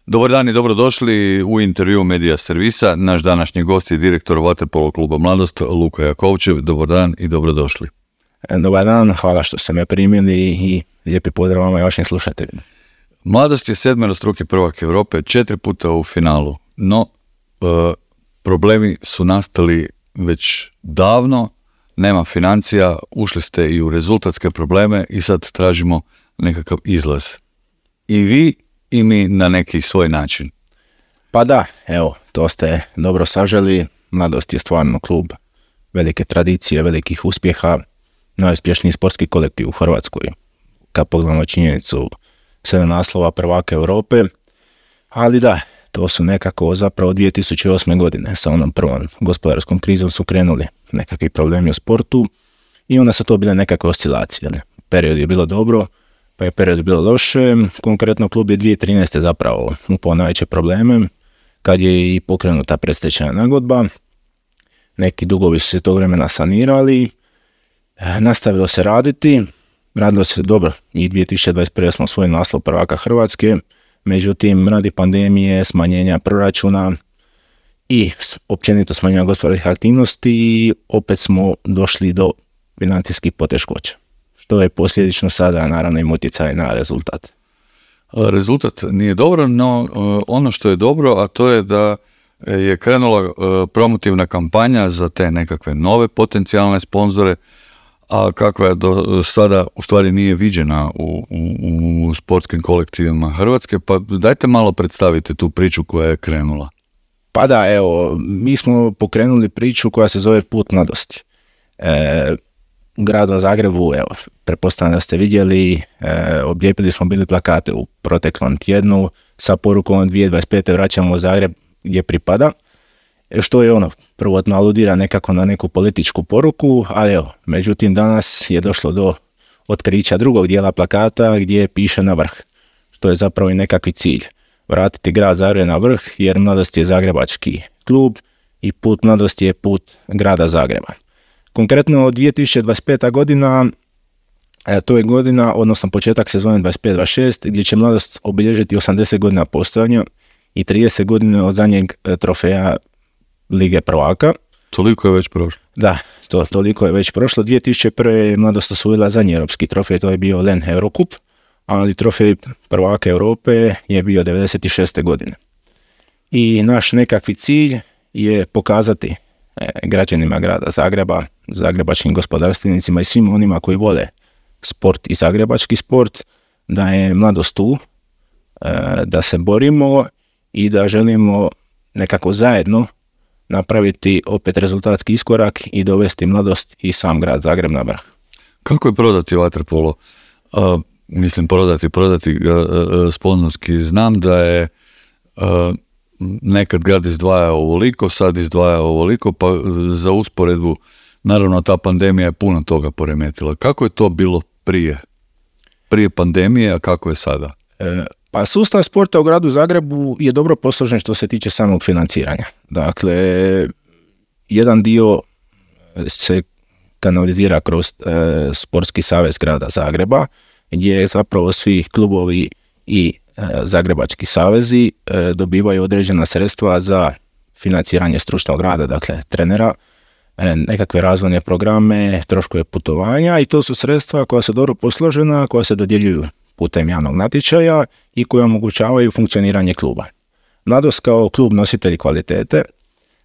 Dobar dan i dobrodošli u intervju Medija Servisa. Naš današnji gost je direktor Vaterpolo kluba Mladost, Luka Jakovčev. Dobar dan i dobrodošli. Dobar dan, hvala što ste me primili i lijepi pozdrav vama i vašim slušateljima. Mladost je 7-struki prvak Europe, 4 puta u finalu, no problemi su nastali već davno, nema financija, ušli ste i u rezultatske probleme i sad tražimo nekakav izlaz. I vi i mi na neki svoj način. Pa da, evo, to ste dobro saželi. Mladost je stvarno klub velike tradicije, velikih uspjeha, najuspješniji sportski kolektiv u Hrvatskoj. Kad pogledamo činjenicu 7 naslova prvaka Europe, ali da, to su nekako zapravo 2008. godine sa onom prvom gospodarskom krizom su krenuli nekakvi problemi u sportu i onda su to bile nekakve oscilacije. Period je bilo dobro, pa je period bilo loše. Konkretno klub je 2013. zapravo upao najveće probleme kad je i pokrenuta predstečajna nagodba. Neki dugovi su se tog vremena sanirali, nastavilo se radilo se dobro i 2021. smo osvojili naslov prvaka Hrvatske, međutim radi pandemije, smanjenja proračuna i općenito smanjenja gospodarskih aktivnosti opet smo došli do financijskih poteškoća, što je posljedično sada naravno im utjecaj na rezultat. Rezultat nije dobro, no ono što je dobro, a to je da je krenula promotivna kampanja za te nekakve nove potencijalne sponzore, a kakva je do sada u stvari nije viđena u sportskim kolektivima Hrvatske, pa dajte malo predstavite tu priču koja je krenula. Pa da, evo, mi smo pokrenuli priču koja se zove Put mladosti. U gradu Zagrebu, evo, pretpostavljam da ste vidjeli, objepili smo bili plakate u proteklom tjednu sa porukom 2025. vraćamo u Zagreb gdje pripada, što je ono, prvotno aludira nekako na neku političku poruku, ali evo, međutim danas je došlo do otkrića drugog dijela plakata gdje piše na vrh, što je zapravo i nekakvi cilj, vratiti grad Zagreb na vrh jer Mladost je zagrebački klub i Put mladosti je put grada Zagreba. Konkretno 2025. godina, to je godina, odnosno početak sezone 25-26, gdje će Mladost obilježiti 80 godina postojanja i 30 godina od zadnjeg trofeja Lige prvaka. Toliko je već prošlo. Da, toliko je već prošlo. 2001. je Mladost osvojila zadnji europski trofej, to je bio LEN Eurocup, ali trofej prvaka Europe je bio 96. godine. I naš nekakvi cilj je pokazati građanima grada Zagreba, zagrebačkim gospodarstvenicima i svim onima koji vole sport i zagrebački sport, da je Mladost tu, da se borimo i da želimo nekako zajedno napraviti opet rezultatski iskorak i dovesti Mladost i sam grad Zagreb na vrh. Kako je prodati vaterpolo? Mislim prodati sponzorski. Znam da je nekad grad izdvajao ovoliko, sad izdvajao ovoliko, pa za usporedbu, naravno ta pandemija je puno toga poremetila. Kako je to bilo prije pandemije, a kako je sada? Pa sustav sporta u gradu Zagrebu je dobro posložen što se tiče samog financiranja. Dakle, jedan dio se kanalizira kroz Sportski savez grada Zagreba, gdje zapravo svi klubovi i zagrebački savezi dobivaju određena sredstva za financiranje stručnog rada, dakle trenera, nekakve razvojne programe, troškove putovanja i to su sredstva koja su dobro posložena, koja se dodjeljuju putem javnog natječaja i koje omogućavaju funkcioniranje kluba. Mladost kao klub nositelj kvalitete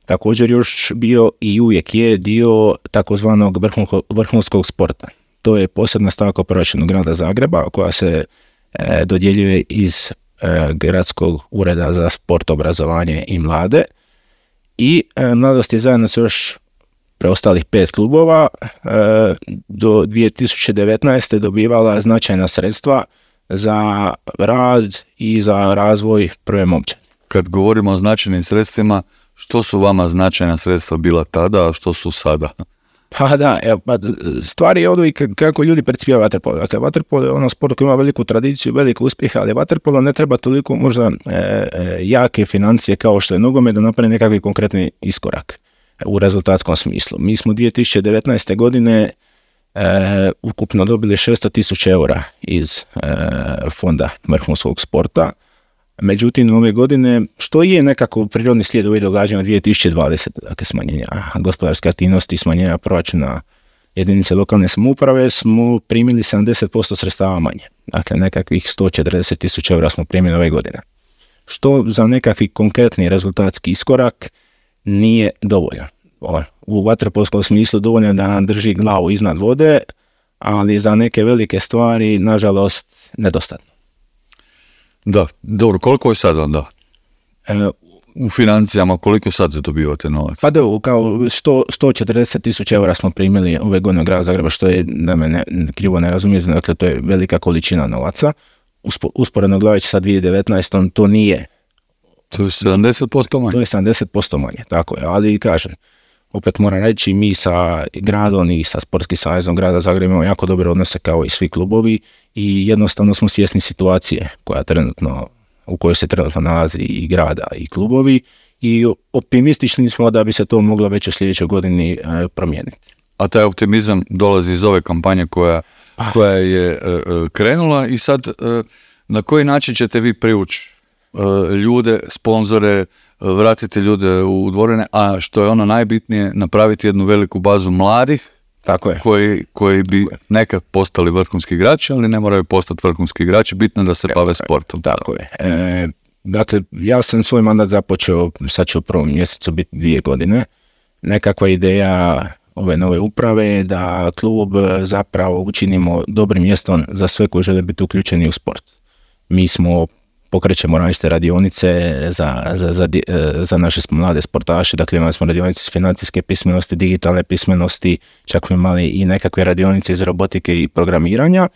također još bio i uvijek je dio takozvanog vrhunskog sporta. To je posebna stavka u proračunu grada Zagreba koja se dodjeljuje iz Gradskog ureda za sport, obrazovanje i mlade i Mladost je zajedno s još preostalih 5 klubova do 2019. dobivala značajna sredstva za rad i za razvoj prve momčadi. Kad govorimo o značajnim sredstvima, što su vama značajna sredstva bila tada, a što su sada? Pa da, stvari je ovdje kako ljudi percipiraju vaterpolo. Dakle, vaterpolo je ono sport koji ima veliku tradiciju, veliku uspjeha, ali vaterpolo ne treba toliko možda jake financije kao što je nogomet da napravi nekakvi konkretni iskorak u rezultatskom smislu. Mi smo 2019. godine ukupno dobili 600.000 eura iz fonda vrhunskog sporta, Međutim, ove godine, što je nekako prirodni slijed ovih događanja 2020, dakle smanjenja gospodarske aktivnosti, smanjenja proračuna jedinice lokalne samouprave, smo primili 70% sredstava manje. Dakle, nekakvih 140.000 eura smo primili ove godine. Što za nekakvi konkretni rezultatski iskorak nije dovoljan. U vaterpolskom smislu dovoljno da nam drži glavu iznad vode, ali za neke velike stvari, nažalost, nedostatno. Da, dobro, koliko je sad onda? U financijama, koliko sad dobivate novac? Pa da, kao 140.000 eura smo primili ove godine u gradu Zagreba, što je, da me krivo ne razumijete, dakle to je velika količina novaca. Usporedno gledajući sa 2019. to nije. To je 70% manje. To je 70% manje, tako je, ali kažem, opet moram reći, mi sa gradom i sa Sportskim savezom grada Zagreba imamo jako dobre odnose kao i svi klubovi i jednostavno smo svjesni situacije u kojoj se trenutno nalazi i grada i klubovi i optimistični smo da bi se to moglo već u sljedećoj godini promijeniti. A taj optimizam dolazi iz ove kampanje koja je krenula i sad na koji način ćete vi privući ljude, sponzore, vratiti ljude u dvorane, a što je ono najbitnije, napraviti jednu veliku bazu mladih, tako je, koji bi nekad postali vrhunski igrači, ali ne moraju postati vrhunski igrači, bitno da se bave sportom. Tako je. Dakle, ja sam svoj mandat započeo, sad će u prvom mjesecu biti 2 godine. Nekakva ideja ove nove uprave je da klub zapravo učinimo dobrim mjestom za sve koji žele biti uključeni u sport. Mi pokrećemo različite radionice za naše mlade sportaše, dakle imali smo radionice financijske pismenosti, digitalne pismenosti, čak smo imali i nekakve radionice iz robotike i programiranja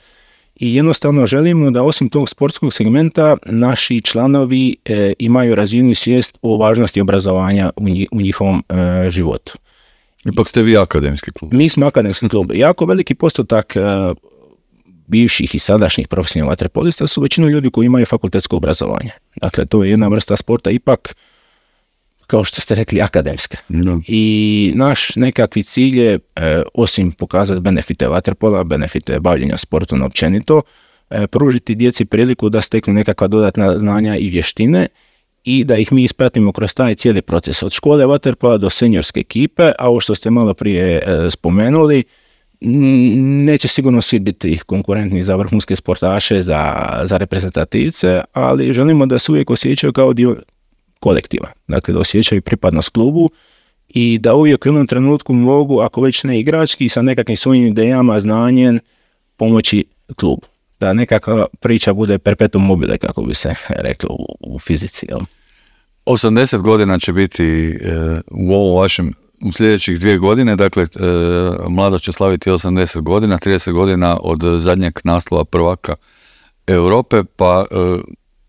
i jednostavno želimo da osim tog sportskog segmenta naši članovi imaju razinu i svijest o važnosti obrazovanja u njihovom životu. Ipak ste vi akademski klub. Mi smo akademski klub. Jako veliki postotak bivših i sadašnjih profesionalnih vaterpolista su većinu ljudi koji imaju fakultetsko obrazovanje. Dakle, to je jedna vrsta sporta ipak, kao što ste rekli, akademska. No. I naš nekakvi cilj je, osim pokazati benefite vaterpola, benefite bavljenja sportom općenito, pružiti djeci priliku da steknu nekakva dodatna znanja i vještine i da ih mi ispratimo kroz taj cijeli proces. Od škole vaterpola do seniorske ekipe, a ovo što ste malo prije spomenuli, neće sigurno svi biti konkurentni za vrhunske sportaše, za reprezentativce, ali želimo da se uvijek osjećaju kao dio kolektiva. Dakle, da osjećaju pripadnost klubu i da uvijek u jednom trenutku mogu, ako već ne igrački, sa nekakvim svojim idejama, znanjem, pomoći klubu. Da nekakva priča bude perpetuum mobile, kako bi se reklo u fizici. Jel? 80 godina će biti u ovom vašem u sljedećih 2 godine, dakle, mladost će slaviti 80 godina, 30 godina od zadnjeg naslova prvaka Europe, pa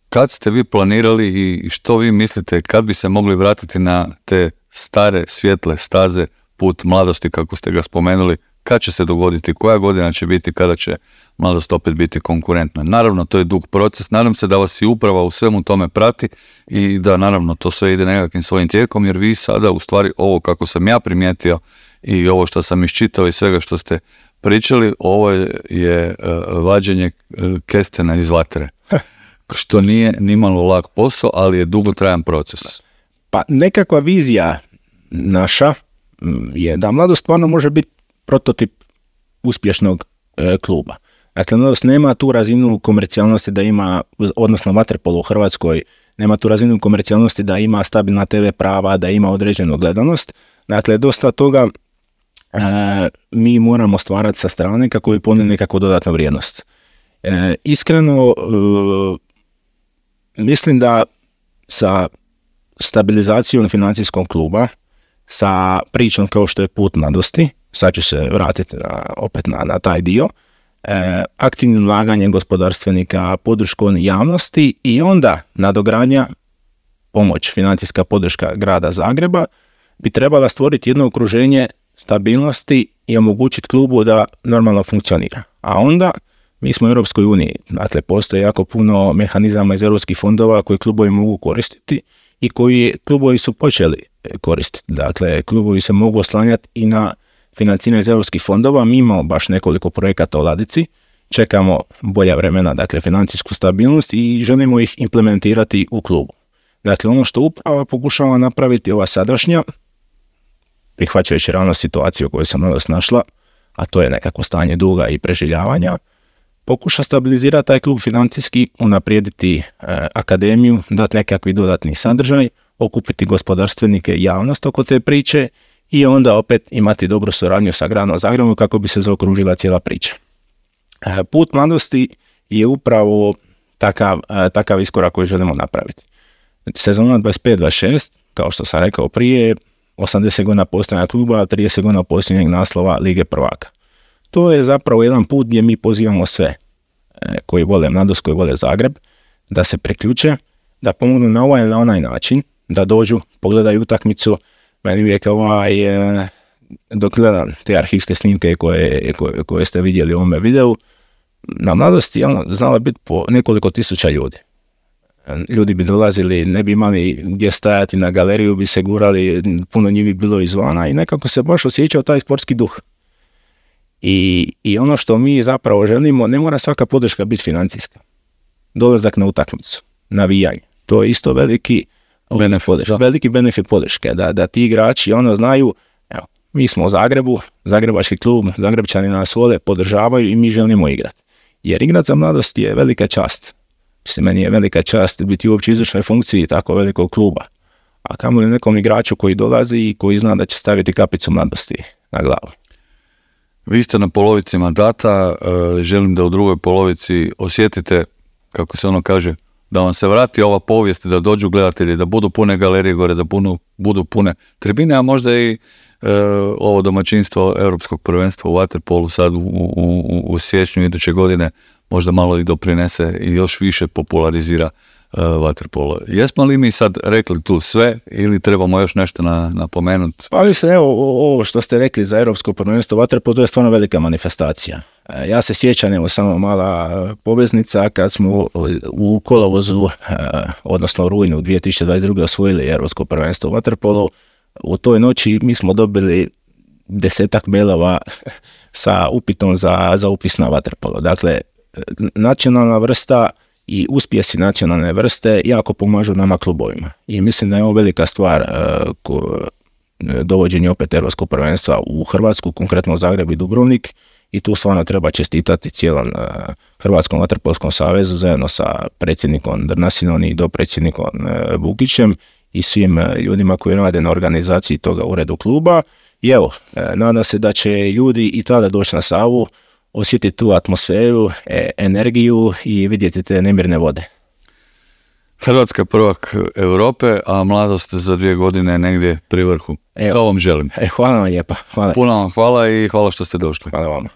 kad ste vi planirali i što vi mislite, kad bi se mogli vratiti na te stare, svjetle staze, put mladosti, kako ste ga spomenuli, kad će se dogoditi, koja godina će biti, kada će mladost opet biti konkurentna. Naravno, to je dug proces, nadam se da vas i uprava u svemu tome prati i da naravno to sve ide nekakvim svojim tijekom, jer vi sada u stvari ovo kako sam ja primijetio i ovo što sam iščitao i svega što ste pričali, ovo je vađenje kestena iz vatre, što nije nimalo lak posao, ali je dugotrajan proces. Pa nekakva vizija naša je da mladost stvarno može biti prototip uspješnog kluba. Dakle, mladost nema tu razinu komercijalnosti da ima, odnosno vaterpolo u Hrvatskoj, nema tu razinu komercijalnosti da ima stabilna TV prava, da ima određenu gledanost. Dakle, dosta toga mi moramo stvarati sa strane kako bi ponijeli nekakvu dodatnu vrijednost. Iskreno, mislim da sa stabilizacijom financijskog kluba, sa pričom kao što je put mladosti, sad ću se vratiti opet na taj dio, aktivnim ulaganjem gospodarstvenika, podrškom javnosti i onda nadogradnja, pomoć, financijska podrška grada Zagreba bi trebala stvoriti jedno okruženje stabilnosti i omogućiti klubu da normalno funkcionira. A onda mi smo u Europskoj uniji, dakle postoje jako puno mehanizama iz europskih fondova koji klubovi mogu koristiti i koji klubovi su počeli koristiti. Dakle, klubovi se mogu oslanjati i na financiranje iz europskih fondova. Mi imamo baš nekoliko projekata u ladici. čekamo bolja vremena, dakle financijsku stabilnost i želimo ih implementirati u klubu. Dakle, ono što uprava pokušava napraviti ova sadašnja, prihvaćajući realno situaciju u kojoj se Mladost našla, a to je nekako stanje duga i preživljavanja, pokuša stabilizirati taj klub financijski, unaprijediti akademiju, dati nekakvi dodatni sadržaj, okupiti gospodarstvenike i javnost oko te priče i onda opet imati dobru suradnju sa Gradom Zagrebom kako bi se zaokružila cijela priča. Put Mladosti je upravo takav iskorak koji želimo napraviti. Sezona 25-26, kao što sam rekao prije, 80 godina postojanja kluba, 30 godina posljednjeg naslova Lige prvaka. To je zapravo jedan put gdje mi pozivamo sve koji vole Mladost, koji vole Zagreb, da se priključe, da pomognu na ovaj ili na onaj način, da dođu, pogledaju utakmicu. Meni uvijek dok gledam te arhivske snimke koje ste vidjeli u ovome videu, na Mladosti je znalo biti po nekoliko tisuća ljudi. Ljudi bi dolazili, ne bi imali gdje stajati, na galeriju bi se gurali, puno njih bi bilo izvana i nekako se baš osjećao taj sportski duh. I ono što mi zapravo želimo, ne mora svaka podrška biti financijska. Dolazak na utakmicu, navijanje, to je isto veliki benefit podrške, da ti igrači znaju, evo, mi smo u Zagrebu, zagrebački klub, Zagrebčani nas vole, podržavaju i mi želimo igrati. Jer igrat za Mladost je velika čast. Mislim, meni je velika čast biti uopće u izvršnoj funkciji tako velikog kluba. A kamoli nekom igraču koji dolazi i koji zna da će staviti kapicu Mladosti na glavu. Vi ste na polovici mandata, želim da u drugoj polovici osjetite, kako se kaže, da vam se vrati ova povijest, da dođu gledatelji, da budu pune galerije gore, da budu pune tribine, a možda i ovo domaćinstvo Europskog prvenstva u vaterpolu sad u siječnju iduće godine možda malo i doprinese i još više popularizira vaterpolo. Jesmo li mi sad rekli tu sve ili trebamo još nešto napomenuti? Pa mislim, evo, ovo što ste rekli za Europsko prvenstvo vaterpolo, to je stvarno velika manifestacija. Ja se sjećam, evo, samo mala poveznica, kad smo u kolovozu, odnosno u rujnu 2022. osvojili Europsko prvenstvo u vaterpolu, u toj noći mi smo dobili 10 mailova sa upitom za upis na vaterpolo. Dakle, nacionalna vrsta i uspjesi nacionalne vrste jako pomažu nama klubovima. I mislim da je ovo velika stvar dovođenje opet Europskog prvenstva u Hrvatsku, konkretno Zagreb i Dubrovnik. I tu stvarno treba čestitati cijelom Hrvatskom vaterpolskom savezu zajedno sa predsjednikom Drnasinom i dopredsjednikom Bukićem i svim ljudima koji rade na organizaciji toga uredu kluba. I evo, nadam se da će ljudi i tada doći na Savu, osjetiti tu atmosferu, energiju i vidjeti te nemirne vode. Hrvatska prvak Europe, a Mladost za 2 godine negdje pri vrhu. To vam želim. Hvala vam lijepa. Puno vam hvala i hvala što ste došli. Hvala vama.